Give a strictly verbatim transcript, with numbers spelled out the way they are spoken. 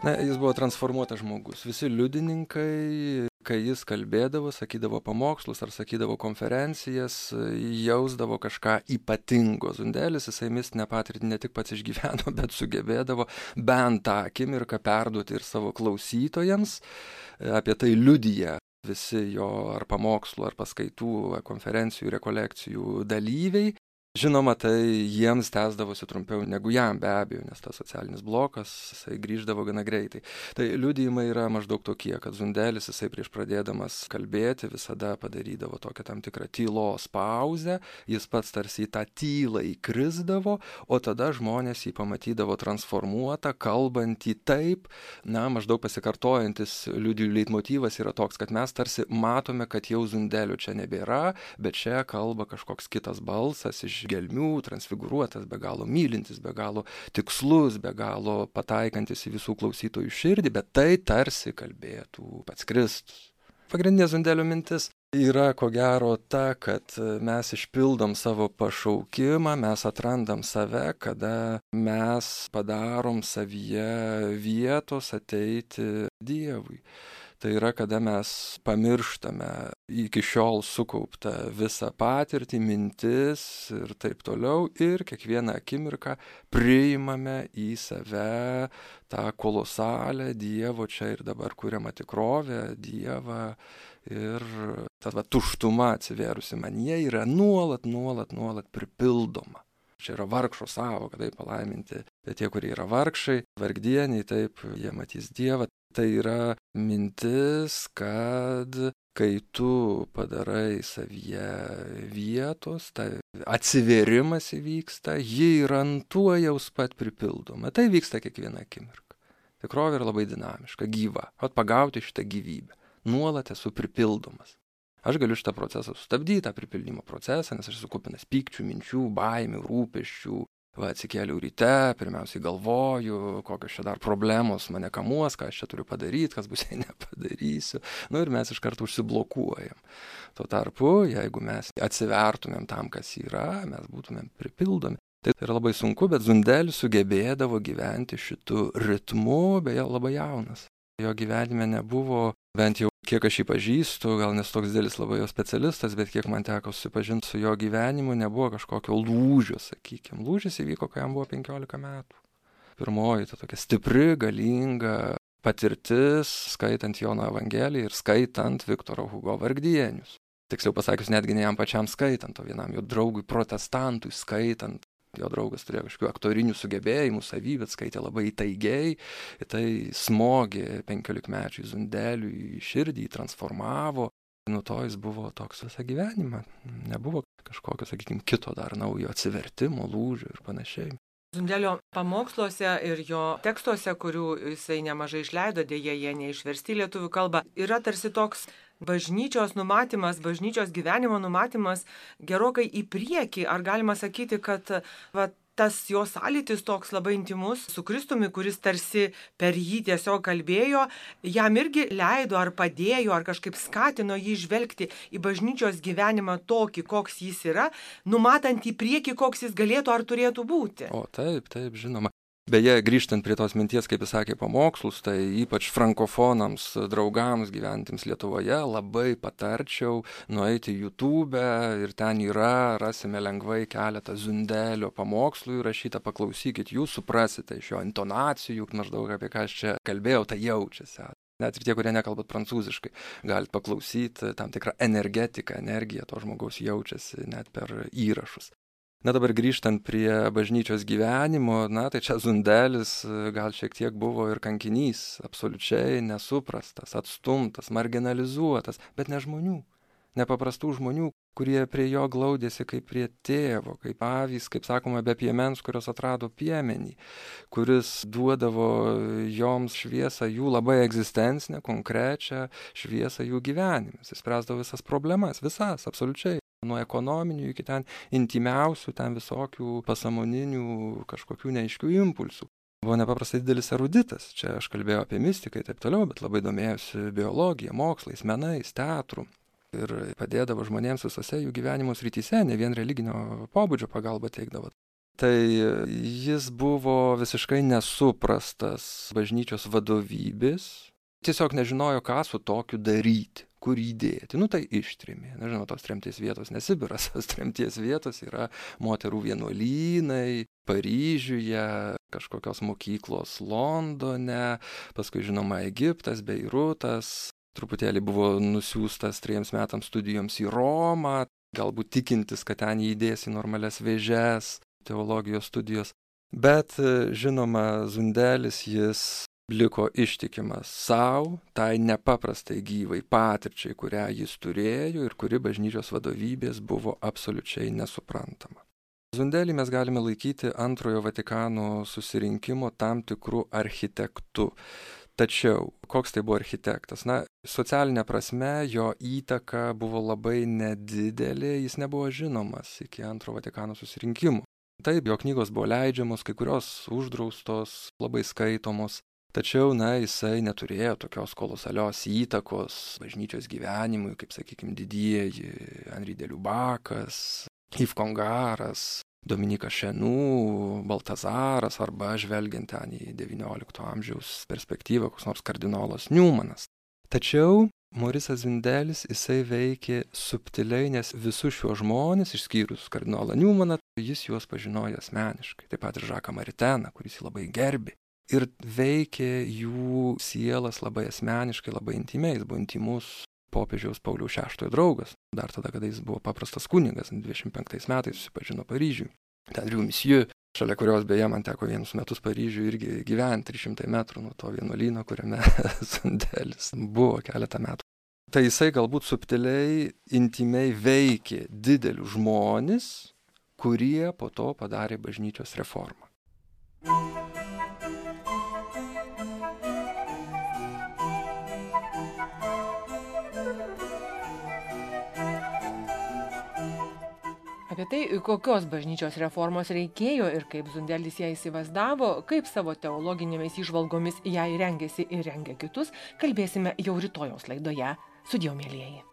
Na, jis buvo transformuotas žmogus. Visi liudininkai, kai jis kalbėdavo, sakydavo pamokslus ar sakydavo konferencijas, jausdavo kažką ypatingo. Zundelis, jisai mistinę patirtį ne tik pats išgyveno, bet sugebėdavo bent tą akimirką perduoti ir savo klausytojams. Apie tai liudija visi jo ar pamokslų, ar paskaitų, ar konferencijų, rekolekcijų dalyviai. Žinoma, tai jiems tęsdavosi trumpiau negu jam, be abejo, nes tas socialinis blokas, jisai grįždavo gana greitai. Tai liudijimai yra maždaug tokie, kad Zundelis, jisai prieš pradėdamas kalbėti, visada padarydavo tokią tam tikrą tylos pauzę, jis pats tarsi į tą tylą įkrisdavo, o tada žmonės jį pamatydavo transformuotą, kalbantį taip, na, maždaug pasikartojantis liudijų leitmotyvas yra toks, kad mes tarsi matome, kad jau Zundelio čia nebėra, bet čia kalba kažkoks kitas balsas iš gelmių, transfigūruotas, be galo mylintis, be galo tikslus, be galo pataikantis į visų klausytojų širdį, bet tai tarsi kalbėtų pats Kristus. Pagrindinė Zundelio mintis yra ko gero ta, kad mes išpildom savo pašaukimą, mes atrandam save, kada mes padarom savyje vietos ateiti Dievui. Tai yra, kada mes pamirštame iki šiol sukauptą visą patirtį, mintis ir taip toliau ir kiekvieną akimirką priimame į save tą kolosalę Dievo čia ir dabar kuriamą tikrovę, Dievą ir ta va, tuštuma atsivėrusi manyje yra nuolat, nuolat, nuolat pripildoma. Čia yra vargšo sąvoka, taip palaiminti, bet tie, kurie yra vargšai, vargdieniai, taip, jie matys Dievą. Tai yra mintis, kad kai tu padarai savyje vietos, tai atsivėrimas įvyksta, ji yra tuojaus pat pripildoma. Tai vyksta kiekvieną akimirką. Tikrovė yra labai dinamiška, gyva. Vat pagauti šitą gyvybę. Nuolat esu pripildomas. Aš galiu šitą procesą sustabdyti, tą pripildymo procesą, nes aš esu kupinas pykčių, minčių, baimių, rūpesčių. Va, atsikėliau ryte, pirmiausiai galvoju, kokios čia dar problemos mane kamuos, ką aš čia turiu padaryti, kas bus, jei nepadarysiu. Nu ir mes iš karto užsiblokuojam. Tuo tarpu, jeigu mes atsivertumėm tam, kas yra, mes būtumėm pripildomi. Tai yra labai sunku, bet Zundelis sugebėdavo gyventi šitu ritmu, beje, labai jaunas. Jo gyvenime nebuvo, bent jau kiek aš jį pažįstu, gal nes toks didelis labai jo specialistas, bet kiek man teko susipažinti su jo gyvenimu, nebuvo kažkokio lūžio, sakykime. Lūžis įvyko, kai jam buvo penkiolika metų. Pirmoji, ta tokia stipri, galinga patirtis, skaitant Jono Evangeliją ir skaitant Viktoro Hugo Vargdienius. Tiksliau pasakius, netgi ne jam pačiam skaitant, o vienam jo draugui protestantui skaitant. Jo draugas turėjo kažkokių aktorinių sugebėjimų, savybę, skaitė labai įtaigiai, ir tai smogė penkiolikmečiui Zundeliui į širdį, jį transformavo. Nuo to jis buvo toks visą gyvenimą. Nebuvo kažkokio, sakykime, kito dar naujo atsivertimo, lūžio ir panašiai. Zundelio pamoksluose ir jo tekstuose, kurių jisai nemažai išleido, dėja jie neišversti į lietuvių kalbą, yra tarsi toks bažnyčios numatymas, bažnyčios gyvenimo numatymas gerokai į priekį. Ar galima sakyti, kad va, tas jo sąlytis toks labai intimus su Kristumi, kuris tarsi per jį tiesiog kalbėjo, jam irgi leido ar padėjo, ar kažkaip skatino jį žvelgti į bažnyčios gyvenimą tokį, koks jis yra, numatant į priekį, koks jis galėtų ar turėtų būti? O taip, taip, žinoma. Beje, grįžtant prie tos minties, kaip jis sakė, pamokslus, tai ypač frankofonams, draugams gyventiems Lietuvoje labai patarčiau nueiti į YouTube ir ten yra, rasime lengvai keletą Zundelio pamokslų įrašytą, paklausykit, jūs suprasite iš jo intonacijų, maždaug apie ką aš čia kalbėjau, tai jaučiasi. Net ir tie, kurie nekalbat prancūziškai, galit paklausyti, tam tikrą energetiką, energiją to žmogaus jaučiasi net per įrašus. Na dabar grįžtant prie bažnyčios gyvenimo, na tai čia Zundelis gal šiek tiek buvo ir kankinys, absoliučiai nesuprastas, atstumtas, marginalizuotas, bet ne žmonių, nepaprastų žmonių, kurie prie jo glaudėsi kaip prie tėvo, kaip avys, kaip sakoma, be piemens, kurios atrado piemenį, kuris duodavo joms šviesą, jų labai egzistencinę, konkrečią šviesą jų gyvenimus, jis spręsdavo visas problemas, visas, absoliučiai. Nuo ekonominių iki ten intimiausių, ten visokių pasamoninių kažkokių neaiškių impulsų. Buvo nepaprastai didelis eruditas. Čia aš kalbėjau apie mistiką ir taip toliau, bet labai domėjosi biologija, mokslais, menais, teatru. Ir padėdavo žmonėms visose jų gyvenimo srityse, ne vien religinio pobūdžio pagalbą teikdavo. Tai jis buvo visiškai nesuprastas bažnyčios vadovybės, tiesiog nežinojo, ką su tokiu daryti, kur įdėti. Nu tai ištrėmė. Nežinau, tos tremties vietos ne Sibiras, tos tremties vietos yra moterų vienuolynai, Paryžiuje, kažkokios mokyklos Londone, paskui žinoma Egiptas, Beirutas, truputėlį buvo nusiųstas trejiems metams studijoms į Romą, galbūt tikintis, kad ten jį įdės į normalias vėžes, teologijos studijos. Bet žinoma, Zundelis jis liko ištikimas savo, tai nepaprastai gyvai patirčiai, kurią jis turėjo ir kuri bažnyčios vadovybės buvo absoliučiai nesuprantama. Zundelį mes galime laikyti antrojo Vatikano susirinkimo tam tikrų architektų. Tačiau, koks tai buvo architektas? Na, socialinė prasme jo įtaka buvo labai nedidelė, jis nebuvo žinomas iki antro Vatikano susirinkimo. Taip, jo knygos buvo leidžiamos, kai kurios uždraustos, labai skaitomos. Tačiau, na, jisai neturėjo tokios kolosalios įtakos bažnyčios gyvenimui, kaip, sakykime, didieji Henri de Lubakas, Yves Congaras, Dominikas Šenų, Baltazaras arba žvelgiant ten į devyniolikto amžiaus perspektyvą, koks nors kardinolas Newmanas. Tačiau Morisas Zundelis, jisai veikė subtiliai, nes visus šiuos žmonės, išskyrus kardinolą Newmaną, jis juos pažinojo asmeniškai. Taip pat ir Žaką Mariteną, kuris jį labai gerbė. Ir veikė jų sielas labai asmeniškai, labai intimiai, jis buvo intimus popiežiaus Pauliaus šeštojo draugas. Dar tada, kada jis buvo paprastas kunigas, dvidešimt penktais metais susipažino Paryžiui. Ten Riu Misijų, šalia kurios beje man teko vienus metus Paryžiui irgi gyventi trys šimtai metrų nuo to vienuolyno, kuriame Zundelis buvo keletą metų. Tai jisai galbūt subtiliai, intimiai veikė didelius žmones, kurie po to padarė bažnyčios reformą. Apie tai, kokios bažnyčios reformos reikėjo ir kaip Zundelis ją įsivaizdavo, kaip savo teologinėmis įžvalgomis ją rengėsi ir rengė kitus, kalbėsime jau rytojaus laidoje. Sudie, mielieji.